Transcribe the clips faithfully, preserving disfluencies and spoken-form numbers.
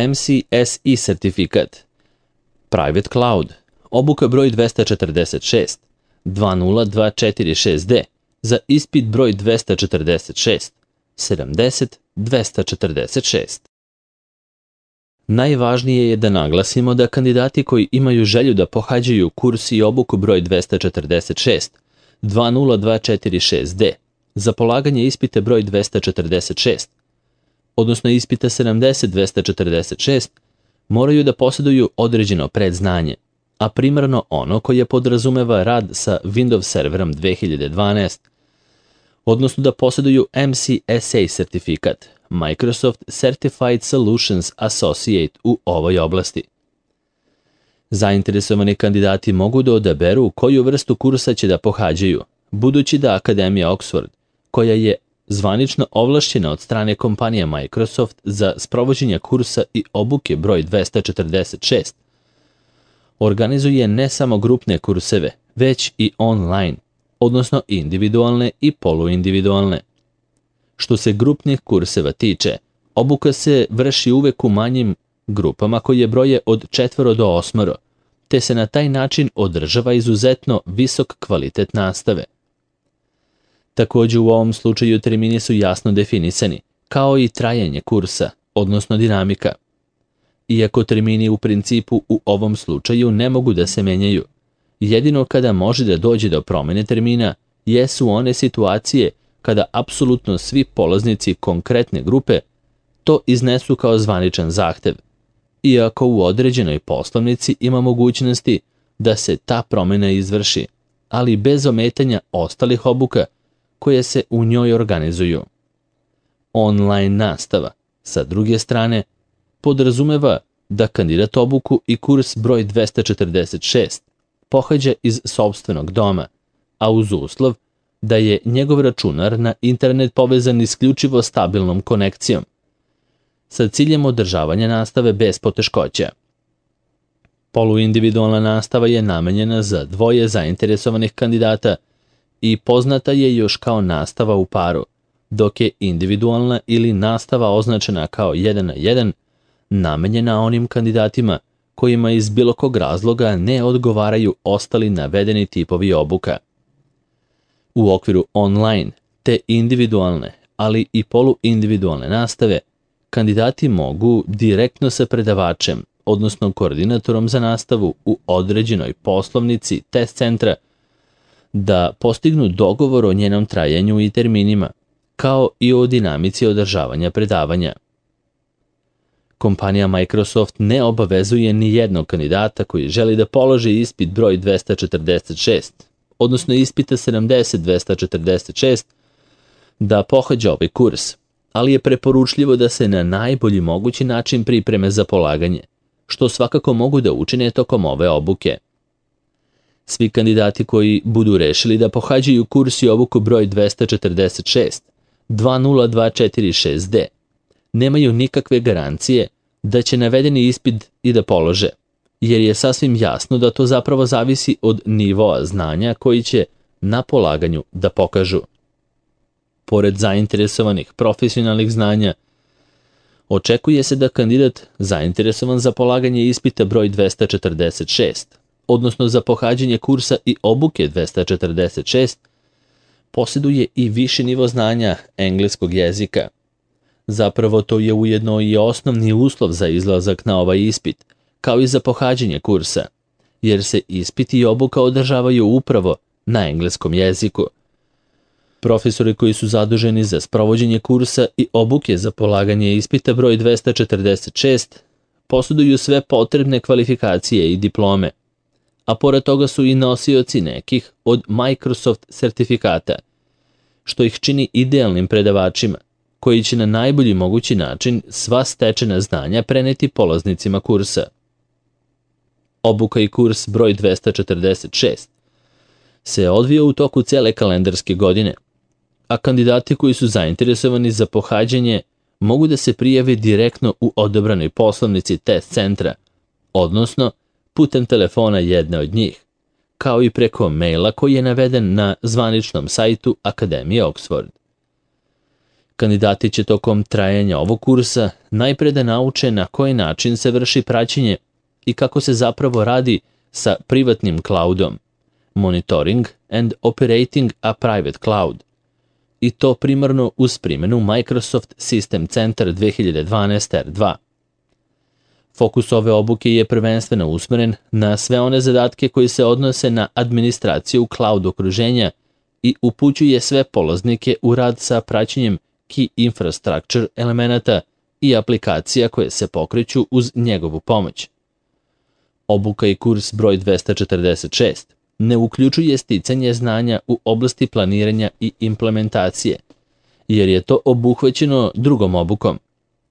M C S E sertifikat, Private Cloud, obuka broj dvesta četrdeset šest, dva nula dva četiri šest D, za ispit broj dvesta četrdeset šest, sedamdeset dvesta četrdeset šest. Najvažnije je da naglasimo da kandidati koji imaju želju da pohađaju kurs i obuku broj dvesta četrdeset šest, dva nula dva četiri šest D, za polaganje ispita broj dvesta četrdeset šest, odnosno ispita sedamdeset dvesta četrdeset šest, moraju da posjeduju određeno predznanje, a primarno ono koje podrazumeva rad sa Windows serverom dve hiljade dvanaest, odnosno da posjeduju M C S A sertifikat, Microsoft Certified Solutions Associate u ovoj oblasti. Zainteresovani kandidati mogu da odaberu koju vrstu kursa će da pohađaju, budući da Akademija Oxford, koja je zvanično ovlašćena od strane kompanije Microsoft za sprovođenje kursa i obuke broj dvesta četrdeset šest, organizuje ne samo grupne kurseve, već i online, odnosno individualne i poluindividualne. Što se grupnih kurseva tiče, obuka se vrši uvek u manjim grupama koje broje od četvoro do osmoro, te se na taj način održava izuzetno visok kvalitet nastave. Također u ovom slučaju termini su jasno definisani, kao i trajanje kursa, odnosno dinamika. Iako termini u principu u ovom slučaju ne mogu da se menjaju, jedino kada može da dođe do promjene termina jesu one situacije kada apsolutno svi polaznici konkretne grupe to iznesu kao zvaničan zahtev, iako u određenoj poslovnici ima mogućnosti da se ta promjena izvrši, ali bez ometanja ostalih obuka koje se u njoj organizuju. Online nastava, sa druge strane, podrazumeva da kandidat obuku i kurs broj dvesta četrdeset šest pohađa iz sopstvenog doma, a uz uslov da je njegov računar na internet povezan isključivo stabilnom konekcijom, sa ciljem održavanja nastave bez poteškoća. Poluindividualna nastava je namenjena za dvoje zainteresovanih kandidata i poznata je još kao nastava u paru, dok je individualna ili nastava označena kao jedan na jedan namenjena onim kandidatima kojima iz bilo kog razloga ne odgovaraju ostali navedeni tipovi obuka. U okviru online te individualne, ali i poluindividualne nastave, kandidati mogu direktno sa predavačem, odnosno koordinatorom za nastavu u određenoj poslovnici test centra, da postignu dogovor o njenom trajanju i terminima, kao i o dinamici održavanja predavanja. Kompanija Microsoft ne obavezuje ni jednog kandidata koji želi da položi ispit broj dvesta četrdeset šest, odnosno ispita sedamdeset dvesta četrdeset šest, da pohađa ovaj kurs, ali je preporučljivo da se na najbolji mogući način pripreme za polaganje, što svakako mogu da učine tokom ove obuke. Svi kandidati koji budu rešili da pohađaju kurs i obuku broj dvesta četrdeset šest, dva nula dva četiri šest D, nemaju nikakve garancije da će navedeni ispit i da polože, jer je sasvim jasno da to zapravo zavisi od nivoa znanja koji će na polaganju da pokažu. Pored zainteresovanih profesionalnih znanja, očekuje se da kandidat zainteresovan za polaganje ispita broj dvesta četrdeset šest, odnosno za pohađanje kursa i obuke dvesta četrdeset šest, posjeduje i viši nivo znanja engleskog jezika. Zapravo to je ujedno i osnovni uslov za izlazak na ovaj ispit, kao i za pohađanje kursa, jer se ispit i obuka održavaju upravo na engleskom jeziku. Profesori koji su zaduženi za sprovođenje kursa i obuke za polaganje ispita broj dvesta četrdeset šest posjeduju sve potrebne kvalifikacije i diplome, a pored toga su i nosioci nekih od Microsoft sertifikata, što ih čini idealnim predavačima, koji će na najbolji mogući način sva stečena znanja preneti polaznicima kursa. Obuka i kurs broj dvesta četrdeset šest se odvija u toku cele kalendarske godine, a kandidati koji su zainteresovani za pohađanje mogu da se prijave direktno u odabranoj poslovnici test centra, odnosno putem telefona jedne od njih, kao i preko maila koji je naveden na zvaničnom sajtu Akademije Oxford. Kandidati će tokom trajanja ovog kursa najpre da nauče na koji način se vrši praćenje i kako se zapravo radi sa privatnim cloudom, monitoring and operating a private cloud, i to primarno uz primjenu Microsoft System Center dve hiljade dvanaest R dva. Fokus ove obuke je prvenstveno usmeren na sve one zadatke koji se odnose na administraciju cloud okruženja i upućuje sve polaznike u rad sa praćenjem key infrastructure elemenata i aplikacija koje se pokreću uz njegovu pomoć. Obuka i kurs broj dvesta četrdeset šest ne uključuje sticanje znanja u oblasti planiranja i implementacije, jer je to obuhvaćeno drugom obukom,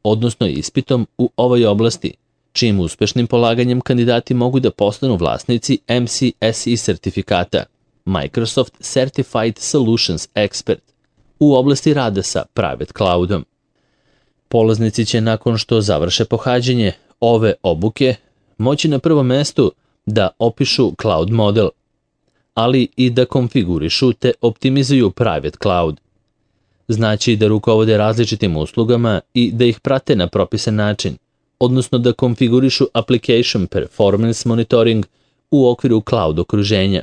odnosno ispitom u ovoj oblasti, čijim uspešnim polaganjem kandidati mogu da postanu vlasnici M C S E sertifikata, Microsoft Certified Solutions Expert, u oblasti rada sa private cloudom. Polaznici će nakon što završe pohađanje ove obuke moći na prvom mestu da opišu cloud model, ali i da konfigurišu te optimizuju private cloud. Znači da rukovode različitim uslugama i da ih prate na propisan način, odnosno da konfigurišu application performance monitoring u okviru cloud okruženja.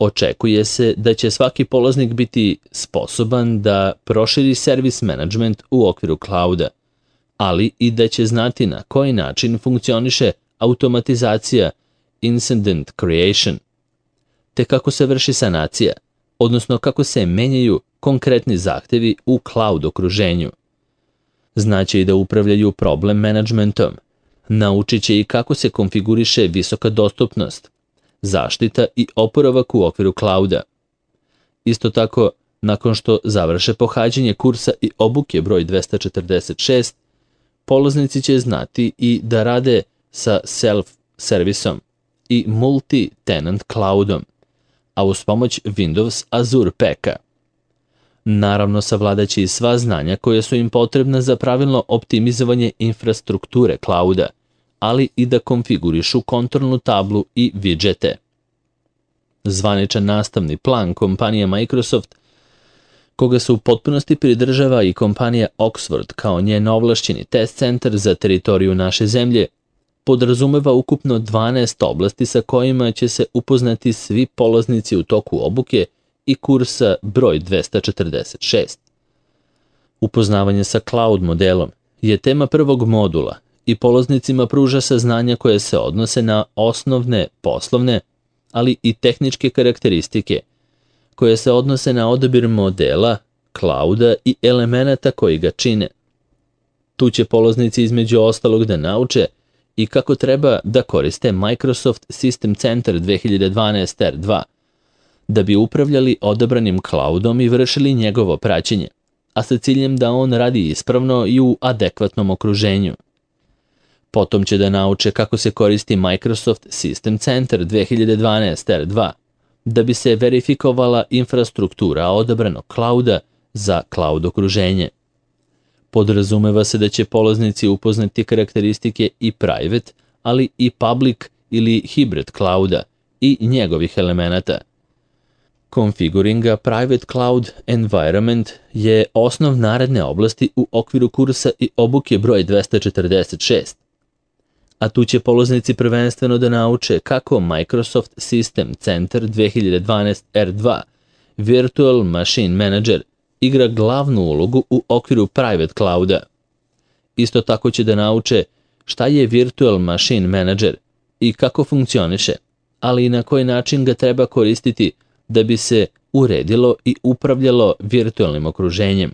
Očekuje se da će svaki polaznik biti sposoban da proširi service management u okviru clouda, ali i da će znati na koji način funkcioniše automatizacija incident creation, te kako se vrši sanacija, odnosno kako se menjaju konkretni zahtevi u cloud okruženju. Znaće i da upravljaju problem managementom, naučit će i kako se konfiguriše visoka dostupnost, zaštita i oporavak u okviru clouda. Isto tako, nakon što završe pohađanje kursa i obuke broj dvesta četrdeset šest, polaznici će znati i da rade sa self-servisom i multi-tenant cloudom, a uz pomoć Windows Azure Packa. Naravno, savladaće i sva znanja koja su im potrebna za pravilno optimizovanje infrastrukture clouda, ali i da konfigurišu kontrolnu tablu i widgete. Zvaničan nastavni plan kompanije Microsoft, koga se u potpunosti pridržava i kompanija Oxford kao njen ovlašćeni test centar za teritoriju naše zemlje, podrazumeva ukupno dvanaest oblasti sa kojima će se upoznati svi polaznici u toku obuke i kursa broj dvesta četrdeset šest. Upoznavanje sa cloud modelom je tema prvog modula i polaznicima pruža saznanja koje se odnose na osnovne poslovne, ali i tehničke karakteristike, koje se odnose na odabir modela, clouda i elemenata koji ga čine. Tu će polaznici između ostalog da nauče i kako treba da koriste Microsoft System Center dve hiljade dvanaest R dva, da bi upravljali odabranim cloudom i vršili njegovo praćenje, a sa ciljem da on radi ispravno i u adekvatnom okruženju. Potom će da nauče kako se koristi Microsoft System Center dve hiljade dvanaest R dva, da bi se verifikovala infrastruktura odabranog clouda za cloud okruženje. Podrazumeva se da će polaznici upoznati karakteristike i private, ali i public ili hybrid clouda i njegovih elemenata. Configuring a private cloud environment je osnov naredne oblasti u okviru kursa i obuke broj dvesta četrdeset šest. A tu će polaznici prvenstveno da nauče kako Microsoft System Center dve hiljade dvanaest R dva Virtual Machine Manager igra glavnu ulogu u okviru private clouda. Isto tako će da nauče šta je Virtual Machine Manager i kako funkcioniše, ali i na koji način ga treba koristiti da bi se uredilo i upravljalo virtualnim okruženjem.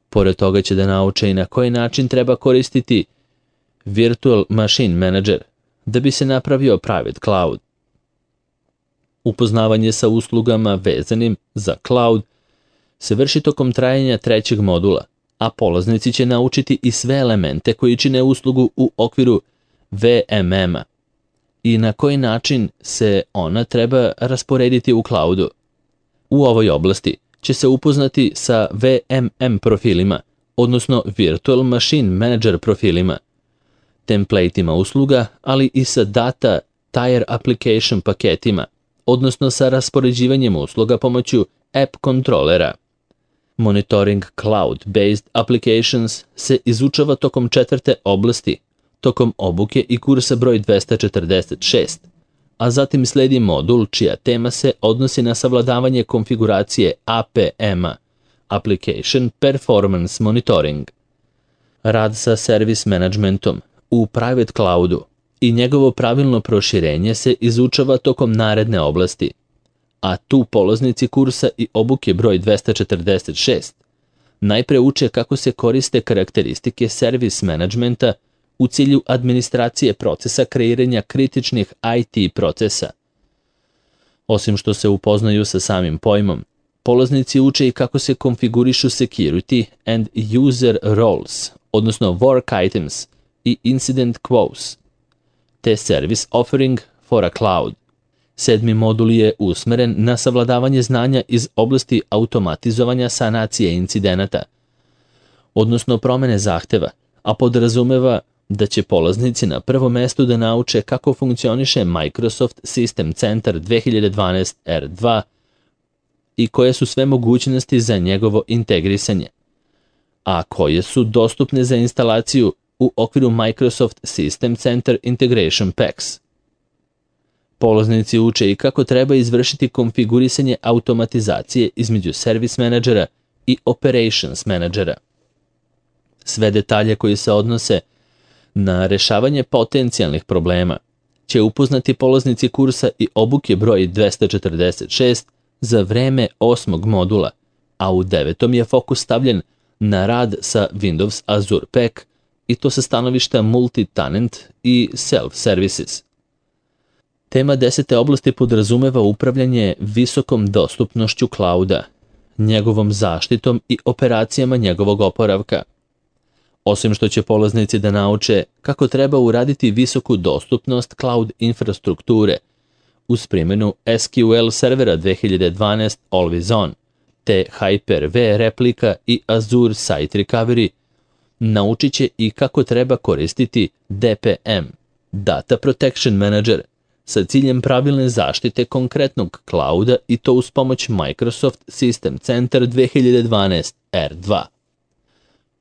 Pored toga će da nauče i na koji način treba koristiti Virtual Machine Manager da bi se napravio private cloud. Upoznavanje sa uslugama vezanim za cloud se vrši tokom trajanja trećeg modula, a polaznici će naučiti i sve elemente koji čine uslugu u okviru V M M-a i na koji način se ona treba rasporediti u cloudu. U ovoj oblasti će se upoznati sa V M M profilima, odnosno Virtual Machine Manager profilima, templateima usluga, ali i sa data tier application paketima, odnosno sa raspoređivanjem usluga pomoću app kontrolera. Monitoring Cloud-Based Applications se izučava tokom četvrte oblasti, tokom obuke i kursa broj dvesta četrdeset šest, a zatim sledi modul čija tema se odnosi na savladavanje konfiguracije A P M-a, Application Performance Monitoring. Rad sa service managementom u private cloudu i njegovo pravilno proširenje se izučava tokom naredne oblasti, a tu polaznici kursa i obuke broj dvesta četrdeset šest najpre uče kako se koriste karakteristike service managementa u cilju administracije procesa kreiranja kritičnih I T procesa. Osim što se upoznaju sa samim pojmom, polaznici uče i kako se konfigurišu security and user roles, odnosno work items i incident queues, te service offering for a cloud. Sedmi modul je usmeren na savladavanje znanja iz oblasti automatizovanja sanacije incidenata, odnosno promene zahteva, a podrazumeva da će polaznici na prvom mestu da nauče kako funkcioniše Microsoft System Center dve hiljade dvanaest R dva i koje su sve mogućnosti za njegovo integrisanje, a koje su dostupne za instalaciju u okviru Microsoft System Center Integration Packs. Polaznici uče i kako treba izvršiti konfigurisanje automatizacije između Service Managera i Operations Managera. Sve detalje koji se odnose na rešavanje potencijalnih problema će upoznati polaznici kursa i obuke broj dvesta četrdeset šest za vreme osmog modula, a u devetom je fokus stavljen na rad sa Windows Azure Pack i to sa stanovišta multi-tenant i self-services. Tema desete oblasti podrazumeva upravljanje visokom dostupnošću clouda, njegovom zaštitom i operacijama njegovog oporavka. Osim što će polaznici da nauče kako treba uraditi visoku dostupnost cloud infrastrukture uz primjenu S Q L servera dve hiljade dvanaest Always On, te Hyper-V replika i Azure Site Recovery, naučit će i kako treba koristiti D P M, Data Protection Manager, sa ciljem pravilne zaštite konkretnog clouda i to uz pomoć Microsoft System Center dve hiljade dvanaest R dva.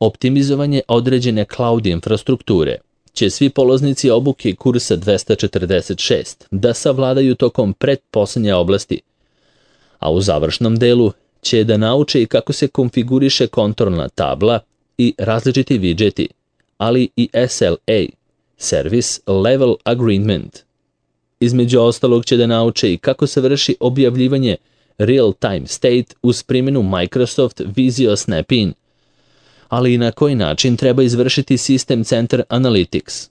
Optimizovanje određene cloud infrastrukture će svi polaznici obuke kursa dvesta četrdeset šest da savladaju tokom pretposlednje oblasti, a u završnom delu će da nauče i kako se konfiguriše kontrolna tabla i različiti widgeti, ali i S L A, Service Level Agreement. Između ostalog će da nauče i kako se vrši objavljivanje real-time state uz primjenu Microsoft Visio Snap-in, ali i na koji način treba izvršiti System Center Analytics.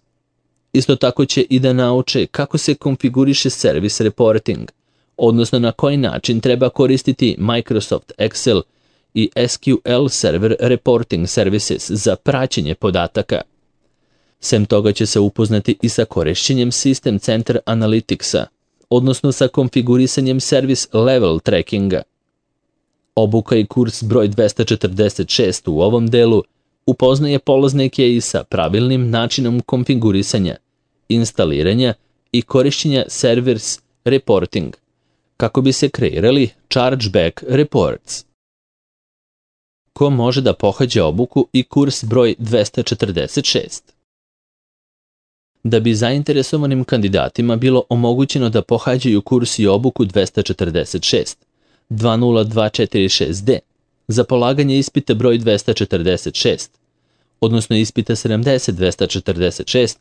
Isto tako će i da nauče kako se konfiguriše Service Reporting, odnosno na koji način treba koristiti Microsoft Excel i S Q L Server Reporting Services za praćenje podataka. Sem toga će se upoznati i sa korišćenjem System Center Analyticsa, odnosno sa konfigurisanjem Service Level Trackinga. Obuka i kurs broj dvesta četrdeset šest u ovom delu upoznaje polaznike i sa pravilnim načinom konfigurisanja, instaliranja i korišćenja Service Reporting, kako bi se kreirali Chargeback Reports. Ko može da pohađa obuku i kurs broj dvesta četrdeset šest? Da bi zainteresovanim kandidatima bilo omogućeno da pohađaju kurs i obuku dvesta četrdeset šest, dva nula dva četiri šest D, za polaganje ispita broj dvesta četrdeset šest, odnosno ispita sedamdeset dvesta četrdeset šest,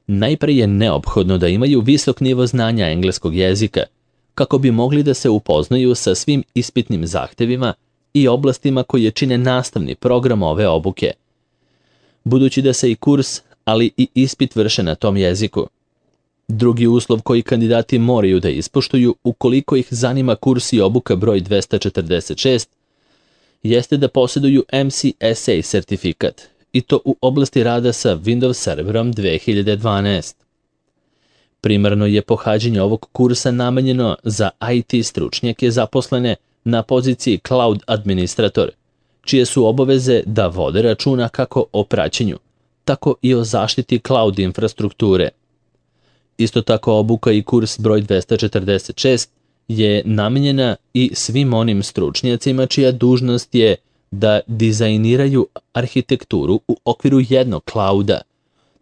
najpre je neophodno da imaju visok nivo znanja engleskog jezika, kako bi mogli da se upoznaju sa svim ispitnim zahtevima i oblastima koje čine nastavni program ove obuke. Budući da se i kurs, ali i ispit vrše na tom jeziku. Drugi uslov koji kandidati moraju da ispoštuju ukoliko ih zanima kurs i obuka broj dvesta četrdeset šest, jeste da posjeduju M C S A sertifikat, i to u oblasti rada sa Windows serverom dve hiljade dvanaest. Primarno je pohađanje ovog kursa namenjeno za I T stručnjake zaposlene na poziciji Cloud Administrator, čije su obaveze da vode računa kako o praćenju, tako i o zaštiti cloud infrastrukture. Isto tako obuka i kurs broj dvesta četrdeset šest je namenjena i svim onim stručnjacima čija dužnost je da dizajniraju arhitekturu u okviru jednog klauda,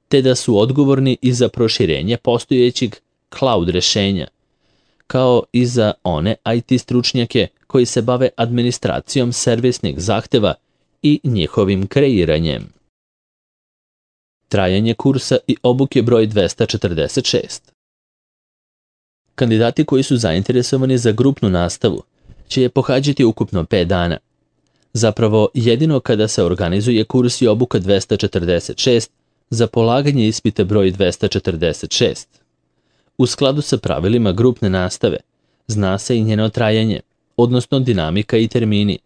te da su odgovorni i za proširenje postojećeg cloud rešenja, kao i za one I T stručnjake koji se bave administracijom servisnih zahteva i njihovim kreiranjem. Trajanje kursa i obuke broj dvesta četrdeset šest. Kandidati koji su zainteresovani za grupnu nastavu će je pohađati ukupno pet dana. Zapravo, jedino kada se organizuje kurs i obuka dvesta četrdeset šest za polaganje ispita broj dvesta četrdeset šest. U skladu sa pravilima grupne nastave, zna se i njeno trajanje, odnosno dinamika i termini,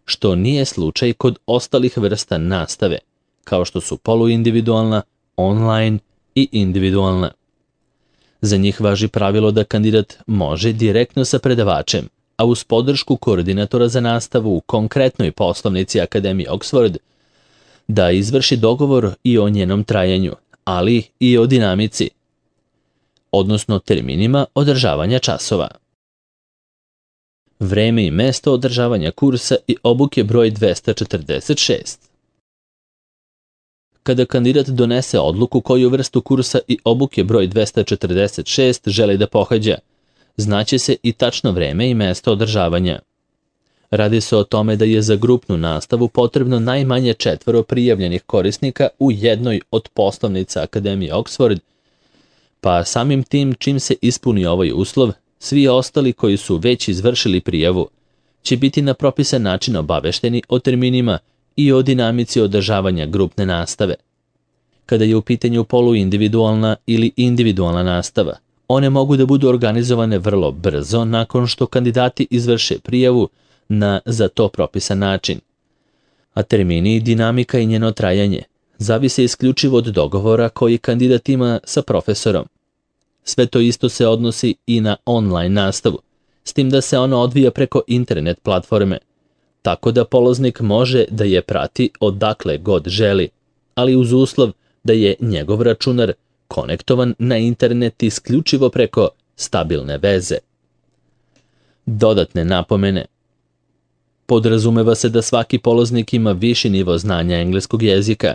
što nije slučaj kod ostalih vrsta nastave, kao što su poluindividualna, online i individualna. Za njih važi pravilo da kandidat može direktno sa predavačem, a uz podršku koordinatora za nastavu u konkretnoj poslovnici Akademije Oxford, da izvrši dogovor i o njenom trajanju, ali i o dinamici, odnosno terminima održavanja časova. Vreme i mesto održavanja kursa i obuke broj dvesta četrdeset šest. Kada kandidat donese odluku koju vrstu kursa i obuke broj dvesta četrdeset šest želi da pohađa, znaće se i tačno vreme i mesto održavanja. Radi se o tome da je za grupnu nastavu potrebno najmanje četvoro prijavljenih korisnika u jednoj od poslovnica Akademije Oxford, pa samim tim čim se ispuni ovaj uslov, svi ostali koji su već izvršili prijavu će biti na propisan način obavešteni o terminima i o dinamici održavanja grupne nastave. Kada je u pitanju poluindividualna ili individualna nastava, one mogu da budu organizovane vrlo brzo nakon što kandidati izvrše prijavu na za to propisan način. A termini, dinamika i njeno trajanje zavise isključivo od dogovora koji kandidat ima sa profesorom. Sve to isto se odnosi i na online nastavu, s tim da se ona odvija preko internet platforme, tako da polaznik može da je prati odakle god želi, ali uz uslov da je njegov računar konektovan na internet isključivo preko stabilne veze. Dodatne napomene. Podrazumeva se da svaki polaznik ima viši nivo znanja engleskog jezika.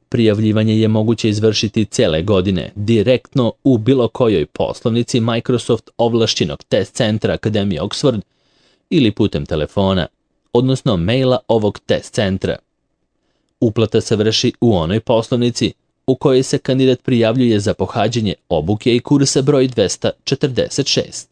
Prijavljivanje je moguće izvršiti cele godine direktno u bilo kojoj poslovnici Microsoft ovlašćenog test centra Akademije Oxford ili putem telefona, odnosno maila ovog test centra. Uplata se vrši u onoj poslovnici u kojoj se kandidat prijavljuje za pohađanje obuke i kursa broj dvesta četrdeset šest.